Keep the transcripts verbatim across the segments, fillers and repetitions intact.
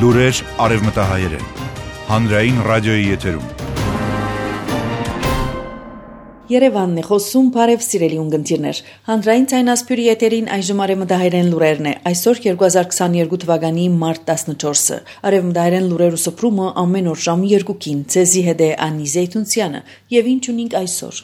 Լուրեր արևմտահայերեն, հանրային ռադիոյի եթերում։ Երևանն է խոսում, բարև սիրելի ունգընտիրներ։ Հանրային ցայնասպյուրի եթերին այժմ արևմտահայերեն լուրերն է։ Այսօր երկու հազար քսաներկու թվականի մարտ տասնչորսը։ Արևմտահայերեն լուրեր ու սփռումը ամեն օր ժամը երկուքին։ Ցեզի հետ է Անի Զեյթունցյանը, եւ ինչ ունենք այսօր։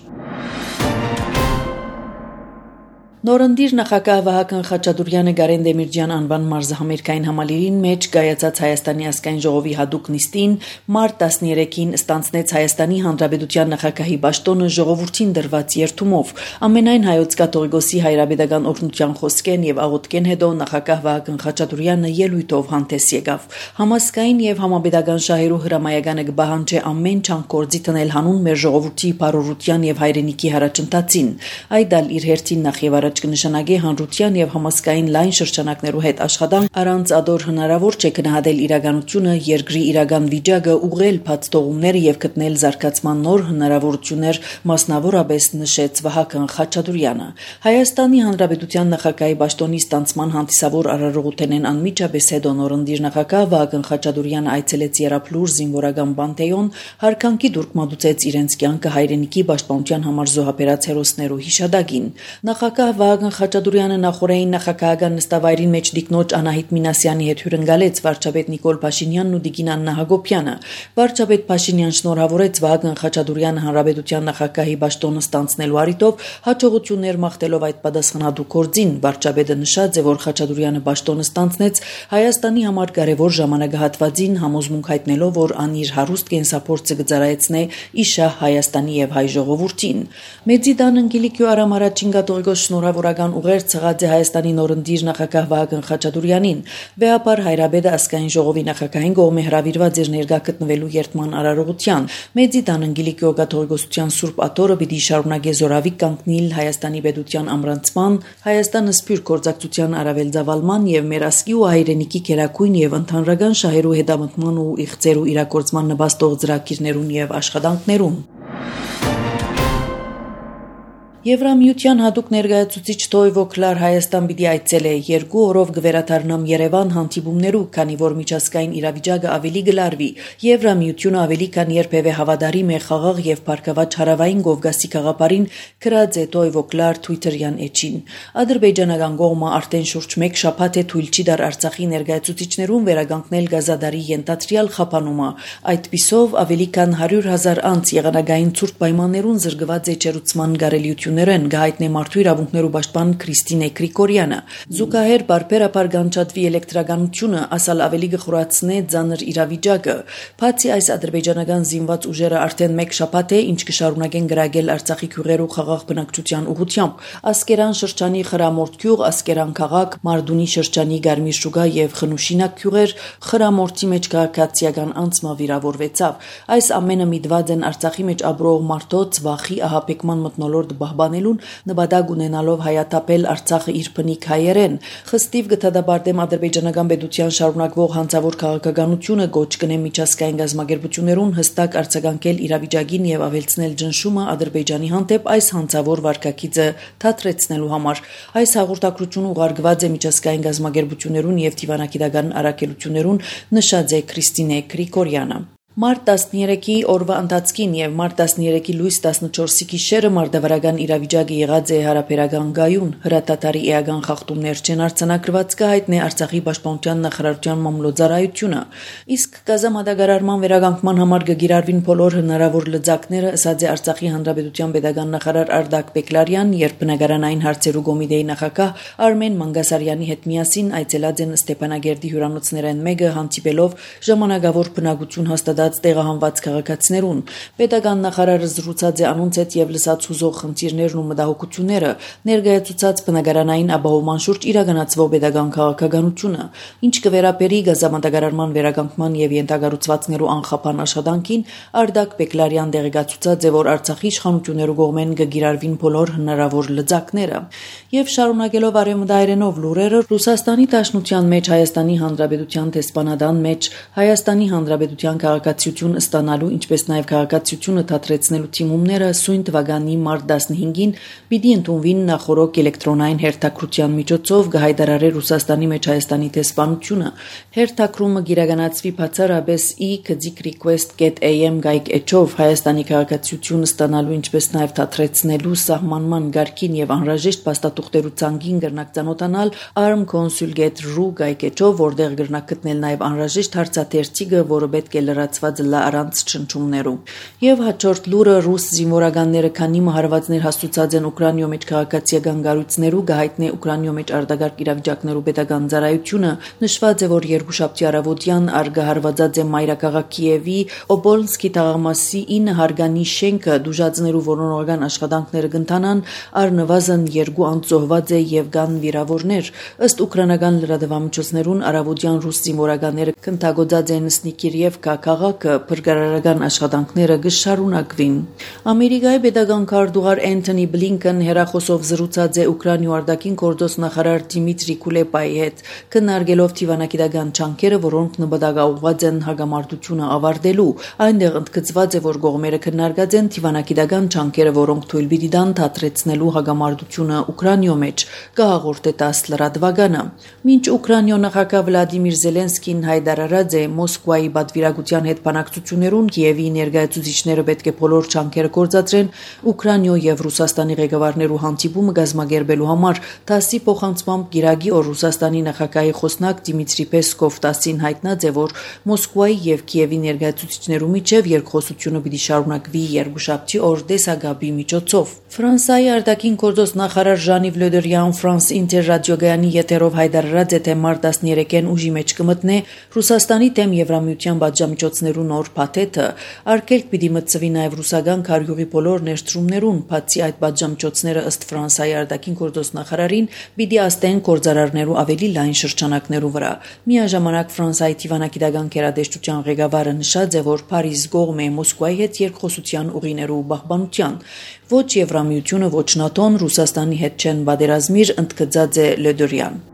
Նորընտիր նախագահ Վահագն Խաչատուրեանը Գարեն Դեմիրճյան անվան մարզահամերգային համալիրին մեջ կայացած Հայաստանի ազգային ժողովի հատուկ նիստին մարտ տասներեքին ստանձնեց Հայաստանի Հանրապետության նախագահի պաշտոնը ժողովրդին դրված երդումով։ Ամենայն հայոց կաթողիկոսի հայրապետական օգնության խոսքեն եւ աղոթքեն հետո նախագահ Վահագն Խաչատուրեանը ելույթով հանդես եկավ։ Համասկային եւ համապետական շահերու հրամայականը կբահանջի ամեն չափ կորձի տնել հանուն մեր ժողովրդի բարօրության եւ հայրենիքի հարաճընթացին։ Այդ ալ իր հերթին նախ եւ առաջ կնշանակի հանրության եւ համասկային լայն շրջանակներու հետ աշխատանք առանց ադոր հնարավոր չէ գնահատել իրականությունը, երկրի իրական վիճակը, ուղղել փաստողումները եւ գտնել զարգացման նոր հնարավորություններ, մասնավորապես նշեց Վահագն Խաչատուրեանը։ Հայաստանի Հանրապետության նախագահի պաշտոնի ստանձնման հանդիսավոր արարողութենեն անմիջապես հետո նորընտիր նախագահ Վահագն Խաչատուրեանը այցելեց Եռափլուր զինվորական բանտեոն, հարկանքի դուրք մատուցեց իրենց կյանքը հայրենիքի պաշտպանության համար զոհաբերած հերոսներու հիշադակին։ Նախագահ Վահագն Խաչատուրեանը նախորդային նախագահական նստավայրին մեջ դիկնոջ Անահիտ Մինասյանի հետ հյուրընկալեց վարչապետ Նիկոլ Փաշինյանն ու Տիկին Աննա Հակոբյանը։ Վարչապետ Փաշինյան շնորհավորեց Վահագն Խաչատուրեանը հանրապետության նախագահի պաշտոնը ստանձնելու առիթով հաջողություններ մաղթելով այդ պատասխանատու գործին։ Վարչապետը նշած է, որ Խաչատուրեանը պաշտոնը ստանձնեց Հայաստանի համար կարևոր ժամանակահատվածին, համոզմունք հայտնելով, որ ան իր հարուստ կենսափորձը կծառայեցնե իշահ Հայաստանի եւ հայ ժողովրդին։ Մեծիդան Անգելիկյո Արամ առաջին կաթողիկոս շնորհավորական ուղեր ցղած է Հայաստանի նորընտիր նախագահ Վահագն Խաչատուրեանին։ Վեհապար հայրաբեդը ազգային ժողովի նախագահային կողմէ հրավիրված էր ներկա գտնվելու երթման արարողության։ Մեծիդան Անգելիկյո կաթողիկոսության Սուրբ Աթոռը պիտի շարունակե զորավիկ կանգնել Հայաստանի պետության ամրանցման, Հայաստանը սփյուռք գործակցության առավել զավալման եւ մեր ազգի ու հայրենիքի քերակույն եւ ընդհանրական շահերու հետամտման ու իղծերու իրագործման նպաստող ծրագիրներուն եւ աշխատանքներուն։ Եվրամիության հատուկ ներկայացուցիչ Թոյվո Քլար Հայաստան պիտի այցելե երկու օրով գվերաթարնամ Երևան հանդիպումներու, քանի որ միջազգային իրավիճակը ավելի գլարվի։ Եվրամիությունը ավելի քան երբևէ հավատարիմ է խաղաղ եւ բարգավաճ հարավային Կովկասի գաղափարին, գրած է Թոյվո Քլար Twitter-յան էջին։ Ադրբեջանական կողմը արդեն շուրջ մեկ շաբաթ է թույլ չի դար Արցախի ներկայացուցիչներուն վերականգնել Գազադարի ենթադրյալ խափանումը։ Այդ պիսով ավելի քան հարյուր հազար անց եղանակային ցուրտ պայմաններուն զրկված է ճերուցման գարելիություն գահիտնե մարդու իրավունքներու պաշտպան Քրիստինե Գրիգորյանը։ Զուգահեռ բարբերաբար կանչատվի էլեկտրականությունը ասալ ավելի գխորացնե ծանր իրավիճակը։ Բացի այս ադրբեջանական զինված ուժերը արդեն մեկ շաբաթ է ինչ կշարունակեն գրագել Արցախի քյուղերու խաղաղ բնակչության ուղղությամբ։ Ասկերան շրջանի Խրամորդ գյուղ, Ասկերան քաղաք, Մարդունի շրջանի Գարմիր շուգա եւ Խնուշինակ գյուղեր Խրամորդի մեջ քաղաքացիական անցմա վիրավորվեցավ։ Այս ամենը միտված են Արցախի մեջ ապրող մարդոց վախի ահապեկման մթնոլորտ բահբանելուն նպատակ ունենալով հայաթափել Արցախը իր բնիկ հայերեն։ Խստիվ գտադաբարտեմ ադրբեջանական պետության շարունակվող հանցավոր քաղաքականությունը գոչ կնե միջազգային գազམ་ագերբություններուն հստակ արձագանքել իրավիճակին եւ ավելցնել ճնշումը Ադրբեջանի հանդեպ այս հանցավոր վարկագիծը թատրեցնելու համար։ Այս հաղորդակցությունը ուղարկված է միջազգային գազམ་ագերբություններուն եւ դիվանագիտական առաքելություններուն, նշած է Քրիստինե Գրիգորյանը։ Մարտ տասներեքի օրվա ընթացքին եւ մարտ տասներեքի լույս տասնչորսի գիշերը մարդավարական իրավիճակը եղած է հարաբերական գայուն, հրատատարի էական խախտումներ չեն արձանագրված կհայտնե Արցախի պաշտպանության նախարարության մամլոյցարայությունը։ Իսկ գազամատագարարման վերականգնման համար կգիրառվին բոլոր հնարավոր լծակները, ասաց է Արցախի Հանրապետության պետական նախարար Արդակ Բեկլարյան, երբ բնակարանային հարցերու կոմիտեի նախագահ Արմեն Մանգասարյանի հետ միասին այցելած են Ստեփանագերդի հյուրանոցներեն մեկը հանդիպելով ժամանակավոր բնակություն հաստատած տեղահանված քաղաքացիներուն։ Պետական նախարարը զրուցած է անոնց հետ եւ լսած հուզող խնդիրներն ու մտահոգությունները, ներկայացուցած բնակարանային ապահովման շուրջ իրականացվող պետական քաղաքականությունը, ինչ կվերապերի գազամատագարարման վերականգնման եւ ենթակառուցվածքներու անխափան աշխատանքին, Արդակ Բեկլարյան տեղեկացուցած է, որ Արցախի իշխանություններու կողմեն կգիրառվին բոլոր հնարավոր լծակները։ Եվ շարունակելով արևմտահայերենով լուրերը, Ռուսաստանի Դաշնության մեջ Հայաստանի Հանրապետության դեսպանատան մեջ Հայաստանի Հանրապետության քաղաքացի քաղաքացիություն ստանալու, ինչպես նաև քաղաքացիությունը թատրեցնելու թիմումները սույն թվականի մարտ տասնհինգին պիտի ընդունվին նախորոք էլեկտրոնային հերթակրության միջոցով գահայդարարե Ռուսաստանի մեջ Հայաստանի տեսփանությունը։ Հերթակրումը գիրականացվի բացառապես ի կձիկ request dot a m գայք էջով Հայաստանի քաղաքացիություն ստանալու, ինչպես նաև թատրեցնելու սահմանման գարկին եւ անհրաժեշտ փաստաթուղթերու ցանկին գրնակ ցանոթանալ arm consul dot r u գայք էջով, որտեղ գրնակ գտնել նաև անհրաժեշտ հարցաթերթիկը, որը պետք է լրացված լա առանց չնչումներու։ Եվ հաջորդ լուրը ռուս զինվորականները քանի մահարվածներ հաստուցած են Ուկրաինայում մեջ քաղաքացիական գառույցներու գահիտնե Ուկրաինայում մեջ արտագարկ իրավիճակներու պետական ծառայությունը նշված է, որ երկուշաբթի առավոտյան արգահարվածած է մայրաքաղաք Կիևի Օբոլնսկի թաղամասի ինը հարգանի շենքը դուժածներու որոնողական աշխատանքները կընթանան, առնվազն երկու անձ զոհված է եւ կան վիրավորներ։ Ըստ ուկրաինական լրատվամիջոցներուն առավոտյան ռուս զինվորականները կընթագոծած են Սնիկիրիևկա քաղաքը, փրկարարական աշխատանքները կշարունակվին։ Ամերիկայի պետական քարտուղար Էնթոնի Բլինքեն հերախոսով զրուցած է Ուկրաինայի արտաքին գործոստ նախարար Դիմիտրի Կուլեբայի հետ, քննարկելով թիվանակիտական ջանքերը, որոնք նպատակաուղղված են հագամարտությունը ավարտելու։ Այնտեղ ընդգծված է, որ կողմերը քննարկած են թիվանակիտական ջանքերը, որոնք թույլ պիտի տան թատրեցնելու հագամարտությունը Ուկրաինայում մեջ, կհաղորդե տաս լրատվականը։ Մինչ Ուկրաինայ նախագահ Վլադիմիր Զելենսկին հայտարարած է Մոսկվայի պատվիրակության հետ բանակցություններուն Կիևի ներկայացուցիչները պետք է բոլոր ջանքերը գործադրեն Ուկրաինայ եւ Ռուսաստանի ղեկավարներու հանդիպումը կազմակերպելու համար, տասի փոխանցմամբ գիրագի օր Ռուսաստանի նախագահի խոսնակ Դիմիտրի Պեսկով տասին հայտնած է, որ Մոսկվայի եւ Կիևի ներկայացուցիչներու միջև երկխոսությունը պիտի շարունակվի երկուշաբթի օր դեսագաբի միջոցով։ Ֆրանսիայի արտաքին գործոստ նախարար Ժանի Վլոդերյան Ֆրանս Ինտեր ռադիոգայանի եթերով հայտարարած է, թե մարտ տասներեքին ուժի մեջ կմտնե Ռուսաստանի դեմ Եվրամիության պատժամիջոցներու նոր փաթեթը, արգելք պիտի մտցվի նաև ռուսական քարյուղի բոլոր ներդրումներուն, բացի այդ պատժամիջոցները ըստ Ֆրանսիայի արտաքին գործոստ նախարարին պիտի աստեն գործարարներու ավելի լայն շրջանակներու վրա։ Միաժամանակ Ֆրանսիայի թիվանակիտական գերատեսչության ղեկավարը նշած է, որ Փարիզ կողմ է Մոսկվայի հետ երկխոսության ուղիներու պահպանության։ Ոչ Եվրամիությունը, ոչ ՆԱՏՕ-ն Ռուսաստանի հետ չեն պատերազմիր, ընդգծած է Լոդորյան։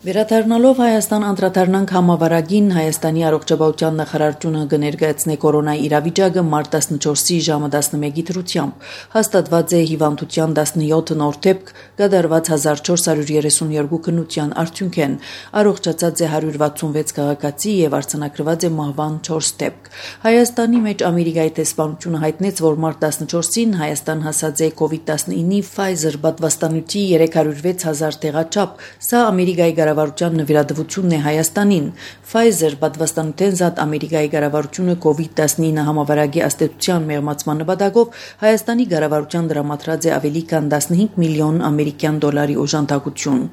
Վերադառնալով Հայաստան անդրադառնանք համավարակին, Հայաստանի առողջապահության նախարարությունը կներկայացնե կորոնայի իրավիճակը մարտ տասնչորսի ժամը տասնմեկի դրությամբ։ Հաստատված է հիվանդության տասնյոթ նոր դեպք, կատարված հազար չորս հարյուր երեսունյոթ քննության արդյունքեն, առողջացած է հարյուր վաթսունվեց քաղաքացի եւ արձանագրված է մահվան չորս դեպք։ Հայաստանի մեջ Ամերիկայի տեսփանությունը հայտնեց, որ մարտ տասնչորսին Հայաստան հասած է կովիդ տասնինի Pfizer պատվաստանյութի երեք հարյուր վեց հազար տեղաչափ։ Սա Ամերիկայի կառավարության նվիրատվությունն է Հայաստանին։ Pfizer պատվաստանյութեն զատ Ամերիկայի կառավարությունը կովիդ տասնինը համավարակի աստեցության մեղմացման նպատակով Հայաստանի կառավարության դրամատրած է ավելի քան տասնհինգ միլիոն ամերիկյան դոլարի օժանդակություն։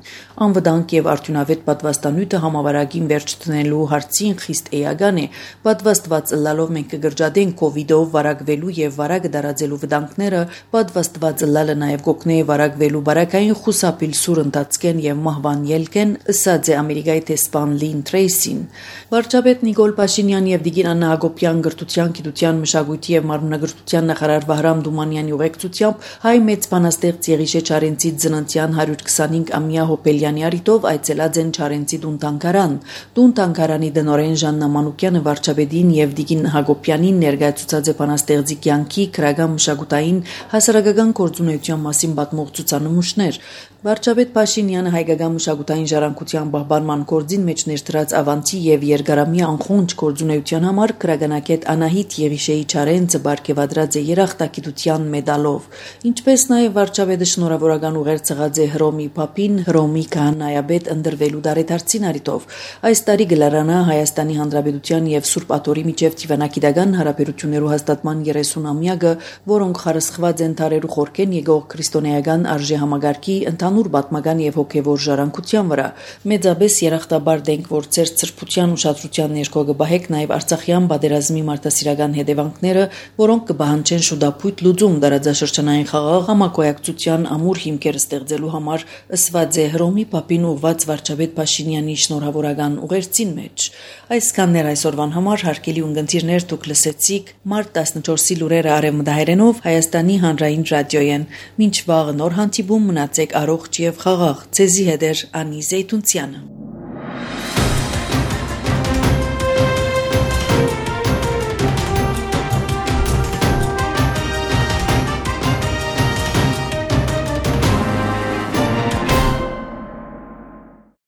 Անվտանգ եւ արդյունավետ պատվաստանյութը համավարակին վերջ դնելու հարցին խիստ էական է։ Պատվաստված ըլլալով մենք կգրջադենք կովիդով վարակվելու եւ վարակը դարածելու վտանգները, պատվաստված ըլլալը նաեւ կօգնե վարակվելու բարակային խուսափիլ սուր ընթացքեն եւ մահվան ելքեն, ըսած է Ամերիկայի տեսփան Լին Թրեյսին։ Վարչապետ Նիկոլ Փաշինյան եւ Դիգին Աննա Հակոբյան գրթության, գիտության, մշակույթի եւ մարմնագրթության նախարար Վահրամ Դումանյանի ուղեկցությամբ հայ մեծ բանաստեղծ Եղիշե Չարենցի ծննդյան հարյուր քսանհինգամյա հոբելյանի առիթով այցելած են Չարենցի տուն-թանգարան։ Տուն-թանգարանի դնորեն Ժաննա Մանուկյանը վարչապետին եւ Դիգին Հակոբյանին ներկայացուցած է բանաստեղծի կյանքի, քրական, մշակութային, հասարակական գործունեության մասին պատմող ցուցանմուշներ։ Վարչապետ Փաշինյանը հայկական մշակութային ժառանգության պահպանման գործին մեջ ներդրած ավանդի եւ երկարամյա անխոնջ գործունեության համար քրագանակետ Անահիտ Եղիշեի Չարենցը բարգեւադրած է երախտագիտության մեդալով։ Ինչպես նաեւ վարչապետը շնորհավորական ուղեր ցղած է Հռոմի Փափին, Հռոմի քահանայապետ ընդրվելու դարեդարձին առիթով։ Այս տարի գլարանա Հայաստանի Հանրապետության եւ Սուրբ Աթորի միջև թիվանակիտական հարաբերություններու հաստատման երեսունամյակը, որոնք խարսխված են թարերու խորքեն եկող քրիստոնեական արժեհամագարկի ընդհանուր պատմական եւ հոգեվոր ժառանգության վրա։ Մեծապես երախտաբար դենք, որ ծեր ծրփության ուշադրության ներքո կբահեք նաեւ Արցախյան պատերազմի մարտահրավերական հետևանքները, որոնք կբահանջեն շուտապույտ լուծում դարաձաշրջանային խաղաղ համակոյակցության ամուր հիմքեր ստեղծելու համար, ըսված է Հռոմի Փափին ուղված վարչապետ Փաշինյանի շնորհավորական ուղերձին մեջ։ Այսքանն էր այսօրվան համար, հարգելի ունկնդիրներ, դուք լսեցիք մարտ տասնչորսի լուրերը արևմտահայերենով Հայաստանի հանրային ռադիոյեն։ Մինչ վաղը նոր հանդիպում, մնացեք առողջ եւ խաղաղ։ Ձեզի հետ էր Անի Զեյթունցյանը։